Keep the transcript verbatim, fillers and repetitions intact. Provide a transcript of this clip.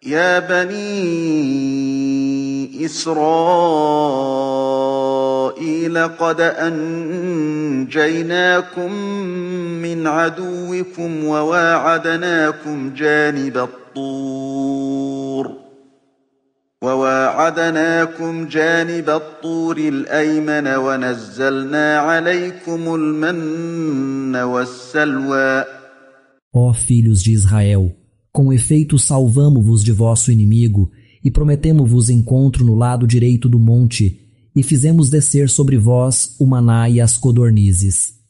يا بني إسرائيل قد أنجيناكم من عدوكم وواعدناكم جانب الطور وواعدناكم جانب الطور الأيمن ونزلنا عليكم المن والسلوى. Ó filhos de Israel, com efeito salvamo-vos de vosso inimigo e prometemo-vos encontro no lado direito do monte e fizemos descer sobre vós o maná e as codornizes.